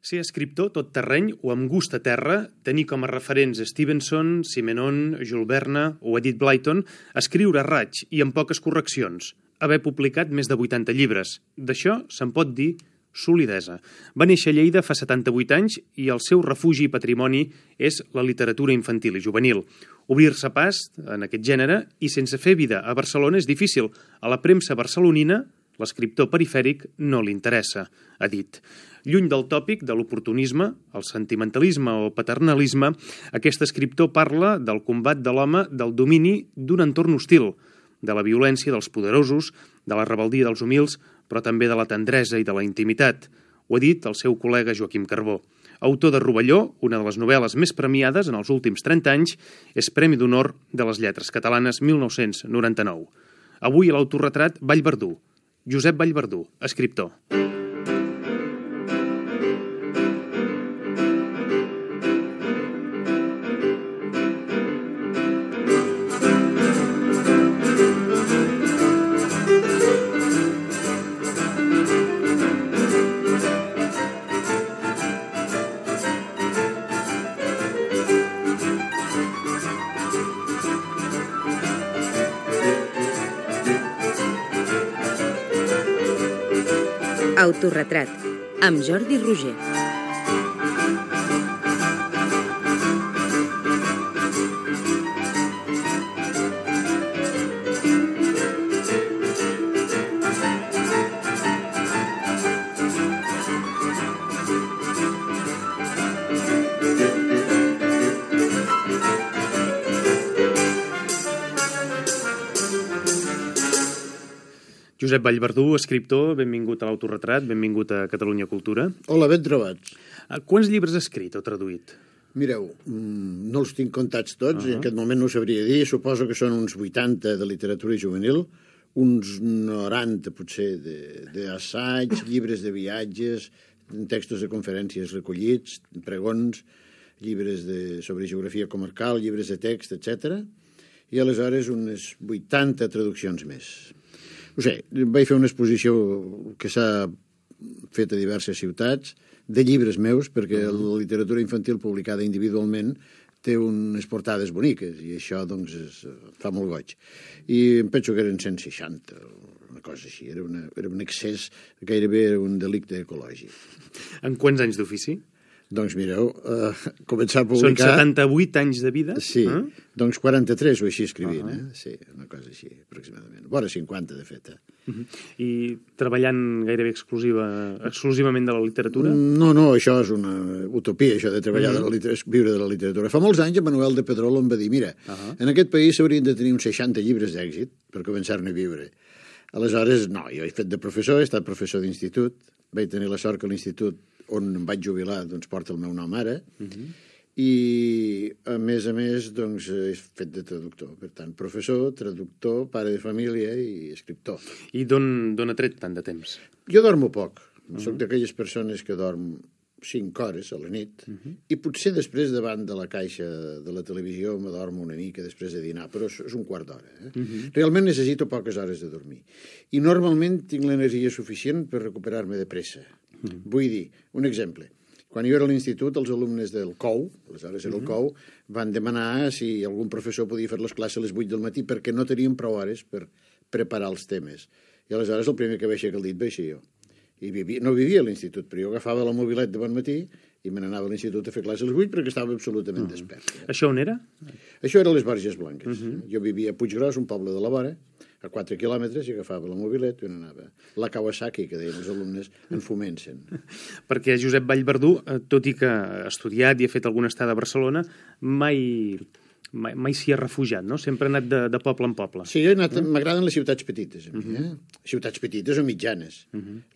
Ser escriptor tot terreny o amb gust a terra, tenir com a referents Stevenson, Simenon, Jules Verne o Edith Blyton, escriure a raig i amb poques correccions, haver publicat més de 80 llibres. D'això se'n pot dir solidesa. Va néixer a Lleida fa 78 anys i el seu refugi i patrimoni és la literatura infantil i juvenil. Obrir-se pas en aquest gènere i sense fer vida a Barcelona és difícil. A la premsa barcelonina, l'escriptor perifèric no li interessa, ha dit. Lluny del tòpic de l'oportunisme, el sentimentalisme o paternalisme, aquest escriptor parla del combat de l'home del domini d'un entorn hostil, de la violència dels poderosos, de la rebeldia dels humils, però també de la tendresa i de la intimitat. Ho ha dit el seu col·lega Joaquim Carbó. Autor de Rovelló, una de les novel·les més premiades en els últims 30 anys, és Premi d'Honor de les Lletres Catalanes 1999. Avui a l'autorretrat Vallverdú. Josep Vallverdú, escriptor. Autoretrat, amb Jordi Roger. Josep Vallverdú, escriptor, benvingut a l'Autorretrat, benvingut a Catalunya Cultura. Hola, ben trobats. Quants llibres has escrit o traduït? Mireu, no els tinc comptats tots, i en aquest moment no ho sabria dir. Suposo que són uns 80 de literatura juvenil, uns 90 potser d'assaig, llibres de viatges, textos de conferències recollits, pregons, llibres sobre geografia comarcal, llibres de text, etc. I aleshores unes 80 traduccions més. No sé, vaig fer una exposició que s'ha fet a diverses ciutats, de llibres meus, perquè la literatura infantil publicada individualment té unes portades boniques, i això, doncs, fa molt goig. I em penso que eren 160, una cosa així, era un excés, gairebé era un delicte ecològic. En quants anys d'ofici? Doncs mireu, començar a publicar... Són 78 anys de vida? Sí, doncs 43 o així escrivint, Sí, una cosa així, aproximadament. Vora 50, de fet. I treballant gairebé exclusivament de la literatura? No, això és una utopia, això de treballar viure de la literatura. Fa molts anys, Manuel de Pedrolo em va dir, mira, en aquest país s'haurien de tenir uns 60 llibres d'èxit per començar-ne a viure. Aleshores, no, jo he fet de professor, he estat professor d'institut, vaig tenir la sort que l'institut on em vaig jubilar, doncs, porta el meu nom ara, i, a més, doncs, he fet de traductor. Per tant, professor, traductor, pare de família i escriptor. I d'on ha tret tant de temps? Jo dormo poc. Soc d'aquelles persones que dorm 5 hores a la nit, i potser després davant de la caixa de la televisió m'adormo una mica després de dinar, però és un quart d'hora. Realment necessito poques hores de dormir. I normalment tinc l'energia suficient per recuperar-me de pressa. Vull dir, un exemple. Quan jo era a l'institut, els alumnes del COU, aleshores era el COU, van demanar si algun professor podia fer les classes a les 8 del matí perquè no tenien prou hores per preparar els temes. I aleshores el primer que vaig aixecar el dit vaig ser jo. I no vivia a l'institut, però jo agafava la mobilet de bon matí i me n'anava a l'institut a fer classes a les 8 perquè estava absolutament despert. Això on era? Això era a les Borges Blanques. Jo vivia a Puiggròs, un poble de la vora, a 4 quilòmetres, i agafava la mobilet i anava. La Kawasaki, que deien els alumnes, en fomencen. Perquè Josep Vallverdú, tot i que ha estudiat i ha fet alguna estada a Barcelona, mai s'hi ha refugiat, no? Sempre ha anat de poble en poble. Sí, m'agraden les ciutats petites, a mi, Ciutats petites o mitjanes.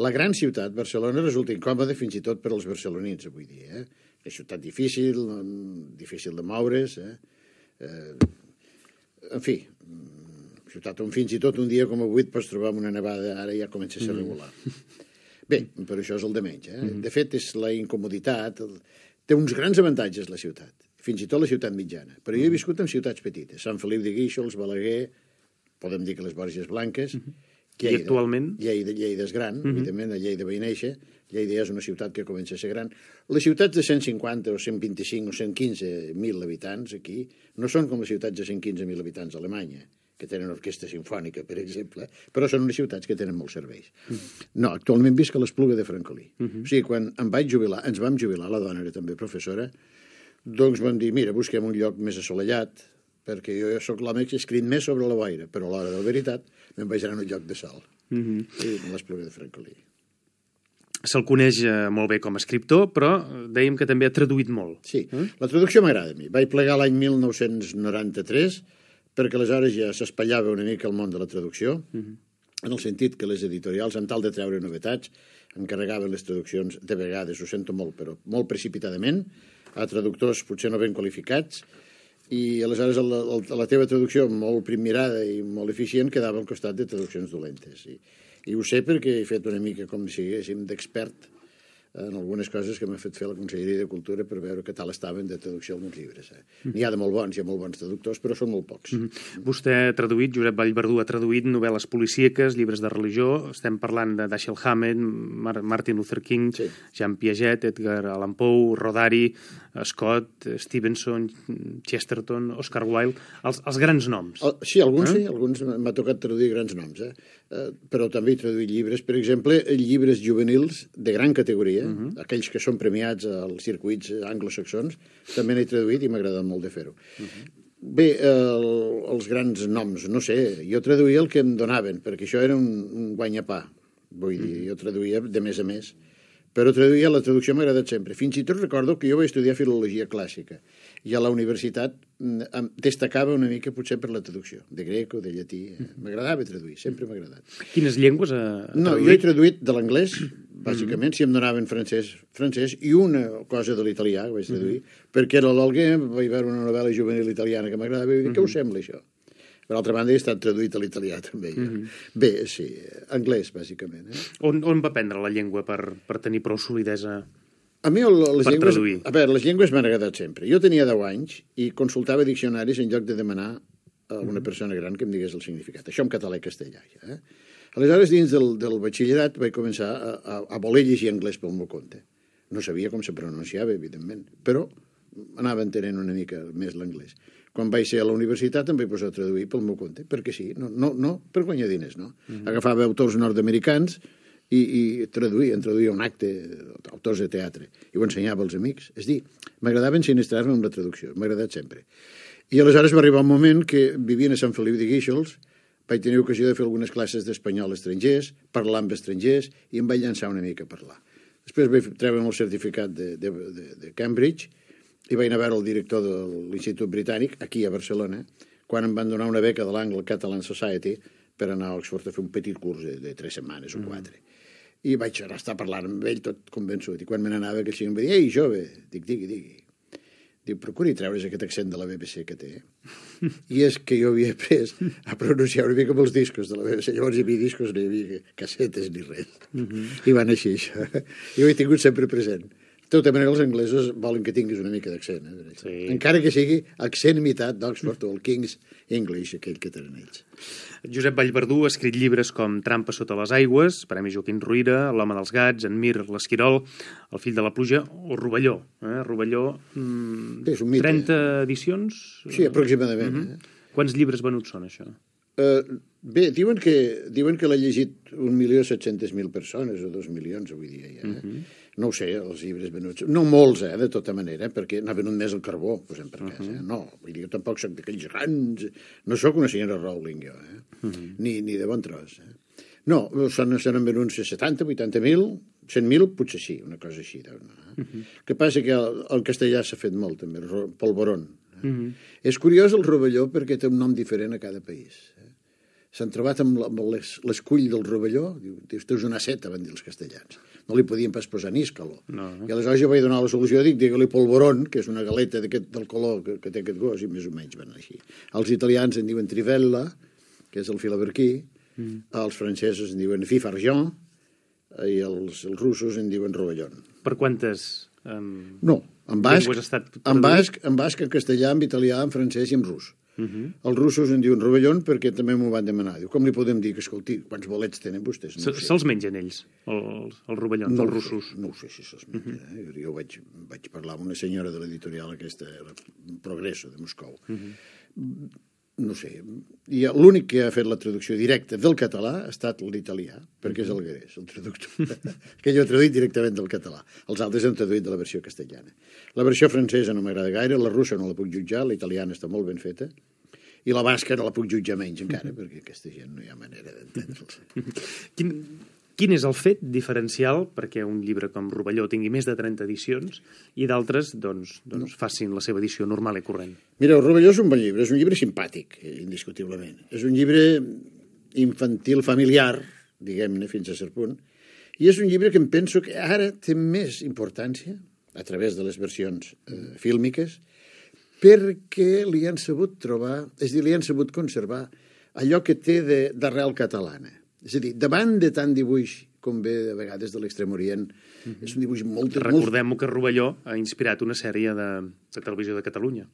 La gran ciutat, Barcelona, resulta incòmoda fins i tot per als barcelonins, avui dia. És ciutat difícil de moure's, en fi, ciutat on fins i tot un dia com avui et pots trobar amb una nevada, ara ja comença a ser regular. Bé, però això és el de menys. De fet, és la incomoditat. Té uns grans avantatges, la ciutat. Fins i tot la ciutat mitjana. Però jo he viscut en ciutats petites. Sant Feliu de Guíxols, Balaguer, podem dir que les Borges Blanques, I actualment? Lleida és gran, evidentment, a Lleida vaig néixer. Lleida és una ciutat que comença a ser gran. Les ciutats de 150 o 125 o 115.000 habitants aquí no són com les ciutats de 115.000 habitants a Alemanya, que tenen orquestra sinfònica, per exemple, però són unes ciutats que tenen molts serveis. No, actualment visc a l'Espluga de Francolí. O sigui, quan ens vam jubilar, la dona era també professora, doncs vam dir, mira, busquem un lloc més assolellat, perquè jo sóc l'home que he escrit més sobre la boira, però a l'hora de la veritat me'n vaig anar a un lloc de sol. I l'Espluga de Francolí. Se'l coneix molt bé com a escriptor, però dèiem que també ha traduït molt. Sí, la traducció m'agrada a mi. Vaig plegar l'any 1993, perquè aleshores ja s'espatllava una mica el món de la traducció, en el sentit que les editorials, en tal de treure novetats, encarregaven les traduccions, de vegades, ho sento molt, però molt precipitadament, a traductors potser no ben qualificats, i aleshores la teva traducció molt primmirada i molt eficient quedava al costat de traduccions dolentes. I ho sé perquè he fet una mica com si haguéssim d'expert en algunes coses que m'ha fet fer la Conselleria de Cultura per veure què tal estaven de traducció alguns llibres. N'hi ha de molt bons, hi ha molt bons traductors, però són molt pocs. Vostè ha traduït, Josep Vallverdú ha traduït novel·les policíaques, llibres de religió, estem parlant de Dashiell Hammett, Martin Luther King, Jean Piaget, Edgar Allan Poe, Rodari, Scott, Stevenson, Chesterton, Oscar Wilde, els grans noms. Sí, alguns m'ha tocat traduir grans noms, però també he traduït llibres, per exemple, llibres juvenils de gran categoria, aquells que són premiats als circuits anglosaxons, també n'he traduït i m'ha agradat molt de fer-ho. Bé, els grans noms, no sé, jo traduïa el que em donaven, perquè això era un guanyapà, vull dir, jo traduïa de més a més, però traduïa, la traducció m'ha agradat sempre. Fins i tot recordo que jo vaig estudiar filologia clàssica i a la universitat destacava una mica potser per la traducció, de grec o de llatí. M'agradava traduir, sempre m'ha agradat. Quines llengües ha traduït? No, jo he traduït de l'anglès, bàsicament, si em donaven francès, i una cosa de l'italià que vaig traduir, perquè era l'Olguer, vaig veure una novel·la juvenil italiana que m'agradava i vaig dir, què us sembla això? Per altra banda, he estat traduït a l'italià, també. Bé, sí, anglès, bàsicament. On va aprendre la llengua per tenir prou solidesa a mi les llengües... traduir? A veure, les llengües m'han agradat sempre. Jo tenia 10 anys i consultava diccionaris en lloc de demanar a una persona gran que em digués el significat. Això en català i castellà, ja. Aleshores, dins del batxillerat, vaig començar a voler llegir anglès pel meu compte. No sabia com se pronunciava, evidentment, però anava entenent una mica més l'anglès. Quan vaig ser a la universitat em vaig posar a traduir pel meu compte, perquè sí, no per guanyar diners, no. Agafava autors nord-americans i traduïa un acte, autors de teatre, i ho ensenyava als amics. És dir, m'agradava ensinistrar-me amb la traducció, m'ha agradat sempre. I aleshores va arribar un moment que vivien a Sant Feliu de Guíxols, vaig tenir ocasió de fer algunes classes d'espanyol a estrangers, parlar amb estrangers, i em vaig llançar una mica a parlar. Després vaig treure'm el certificat de Cambridge, i vaig anar a veure el director de l'Institut Britànic, aquí a Barcelona, quan em van donar una beca de l'Anglo-Catalan Society per anar a Oxford a fer un petit curs de 3 setmanes o 4. I vaig estar parlant amb ell tot convençut. I quan me n'anava, aquell senyor em va dir, ei, jove, digui. Diu, procuri treure's aquest accent de la BBC que té. I és que jo havia après a pronunciar una mica amb els discos de la BBC. Llavors hi havia discos, no hi havia cassetes ni res. I van així, això. I ho he tingut sempre present. De tota manera, els anglesos volen que tinguis una mica d'accent. Sí. Encara que sigui accent imitat d'Oxford o el King's English, aquell que tenen ells. Josep Vallverdú ha escrit llibres com Trampa sota les aigües, Premi Joaquim Ruyra, L'home dels gats, En Mir, l'Esquirol, El fill de la pluja o Rovelló. Rovelló, 30 edicions? Sí, aproximadament. Quants llibres venuts són, això? Bé, diuen que l'ha llegit 1.700.000 persones o 2 milions avui dia ja. No ho sé, els llibres venuts. No molts, de tota manera, perquè n'ha venut més el carbó, posem per cas. No, vull dir, jo tampoc soc d'aquells grans... No sóc una senyora Rowling, jo, ni de bon tros. No, s'han venut 70, 80.000, 100.000, potser sí, una cosa així. El que passa que el castellà s'ha fet molt, també, el polvoron. És curiós el rovelló perquè té un nom diferent a cada país. S'han trobat amb l'escull del rovelló, diu, tu és una seta, van dir els castellans. No li podien pas posar níscalo. I aleshores jo vaig donar la solució, digue-li polvoron, que és una galeta del color que té aquest gos, i més o menys van així. Els italians en diuen trivella, que és el filaberquí, els francesos en diuen fifargent, i els russos en diuen rovellón. Per quantes no, en basc, en castellà, en italià, en francès i en rus. Els russos en diuen rovellón perquè també m'ho van demanar. Diu, com li podem dir que, escolti, quants bolets tenen vostès? No Se'ls mengen ells, els rovellons, els russos? No ho sé si se'ls mengen. Jo vaig parlar amb una senyora de l'editorial aquesta, Progresso, de Moscou. No sé. L'únic que ha fet la traducció directa del català ha estat l'italià, perquè és Alguerés, el traductor, que jo he traduït directament del català. Els altres han traduït de la versió castellana. La versió francesa no m'agrada gaire, la russa no la puc jutjar, la italiana està molt ben feta, i la basca no la puc jutjar menys encara, perquè aquesta gent no hi ha manera d'entendre'ls. Quin és el fet diferencial perquè un llibre com Rovelló tingui més de 30 edicions i d'altres doncs, facin la seva edició normal i corrent? Mireu, Rovelló és un bon llibre, és un llibre simpàtic, indiscutiblement. És un llibre infantil, familiar, diguem-ne, fins a cert punt, i és un llibre que em penso que ara té més importància, a través de les versions fílmiques, perquè li han sabut trobar, és a dir, li han sabut conservar allò que té d'arrel catalana. És a dir, davant de tant dibuix com ve a vegades de l'Extrem Orient, és un dibuix molt... Recordem-ho que Rovelló ha inspirat una sèrie de televisió de Catalunya.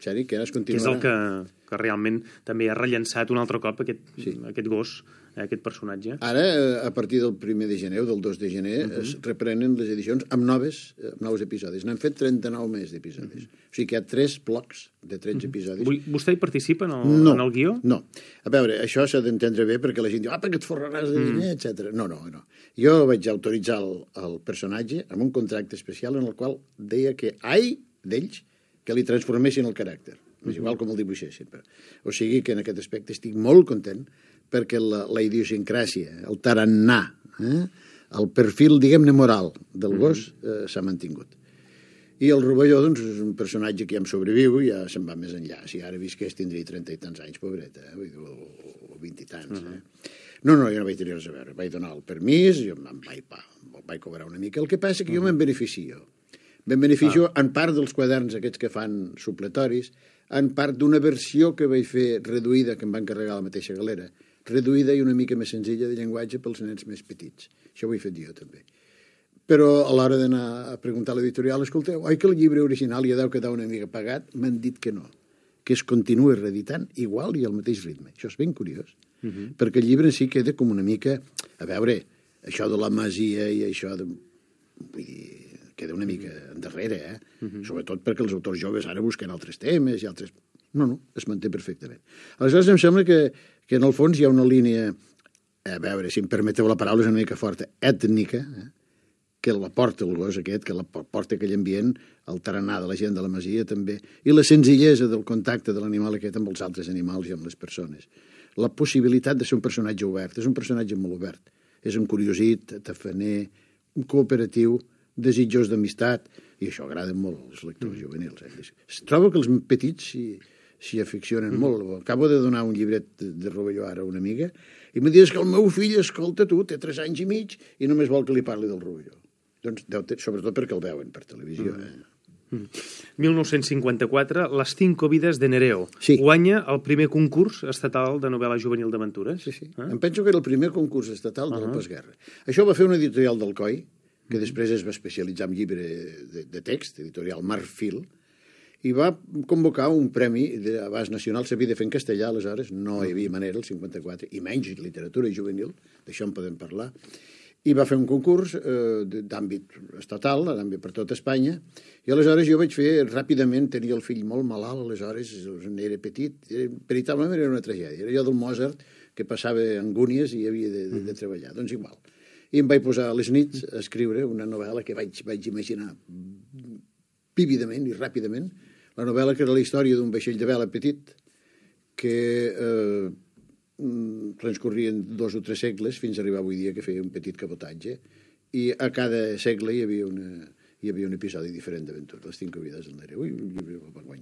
Sèrie que ara es continuarà. Que és el que realment també ha rellençat un altre cop aquest gos, aquest personatge. Ara, a partir del 1 de gener o del 2 de gener, es reprenen les edicions amb nous episodis. N'han fet 39 més d'episodis. O sigui que hi ha 3 blocs de 13 episodis. Vostè hi participa en el guió? No. A veure, això s'ha d'entendre bé perquè la gent diu perquè et forraràs de diner, etc. No. Jo vaig autoritzar el personatge amb un contracte especial en el qual deia que d'ells que li transformessin el caràcter. És igual com el dibuixessin. O sigui que en aquest aspecte estic molt content perquè la idiosincràsia, el tarannà, el perfil, diguem-ne, moral del gos s'ha mantingut. I el Rovelló, doncs, és un personatge que ja em sobreviu i ja se'n va més enllà. Si ara visqués tindria 30 i tants anys, pobreta, o 20 i tants. No, jo no vaig tenir res a veure. Vaig donar el permís, jo vaig cobrar una mica. El que passa que jo me'n beneficio. Me'n beneficio en part dels quaderns aquests que fan supletoris, en part d'una versió que vaig fer reduïda, que em va encarregar la mateixa galera, reduïda i una mica més senzilla de llenguatge pels nens més petits. Això ho he fet jo, també. Però a l'hora d'anar a preguntar a l'editorial, escolteu, oi que el llibre original ja deu quedar una mica pagat? M'han dit que no, que es continua reeditant igual i al mateix ritme. Això és ben curiós, perquè el llibre en si queda com una mica... A veure, això de la masia i això de... Vull dir, queda una mica endarrere, sobretot perquè els autors joves ara busquen altres temes i altres... No, es manté perfectament. Aleshores em sembla que en el fons hi ha una línia, a veure, si em permeteu la paraula és una mica forta, ètnica, que la porta el gos aquest, que la porta aquell ambient, el tarannà de la gent de la masia també, i la senzillesa del contacte de l'animal aquest amb els altres animals i amb les persones. La possibilitat de ser un personatge obert, és un personatge molt obert, és un curiosit, tafaner, un cooperatiu, desitjós d'amistat, i això agrada molt als lectors juvenils. Es troba que els petits s'hi aficionen molt. Acabo de donar un llibret de Rovelló ara a una amiga i em dius que el meu fill, escolta tu, té 3 anys i mig i només vol que li parli del Rovelló. Doncs, sobretot perquè el veuen per televisió. 1954, Les 5 vides de Nereo. Guanya el primer concurs estatal de novel·la juvenil d'aventures. Sí. Em penso que era el primer concurs estatal de la postguerra. Això va fer una editorial d'Alcoi, que després es va especialitzar en llibre de text, editorial Marfil, i va convocar un premi d'abast nacional, s'havia de fer en castellà, aleshores no hi havia manera, el 54, i menys literatura juvenil, d'això en podem parlar, i va fer un concurs d'àmbit estatal, d'àmbit per tot Espanya, i aleshores jo vaig fer ràpidament, tenia el fill molt malalt, aleshores era petit, veritablement era una tragèdia, era jo del Mozart que passava angúnies i havia de treballar, doncs igual. I em vaig posar a les nits a escriure una novel·la que vaig imaginar vívidament i ràpidament, la novel·la que era la història d'un vaixell de vela petit que transcorrien 2 o 3 segles fins a arribar avui dia que feia un petit cabotatge i a cada segle hi havia un episodi diferent d'aventura, Les 5 vides del Nereu, i un llibre va guanyar.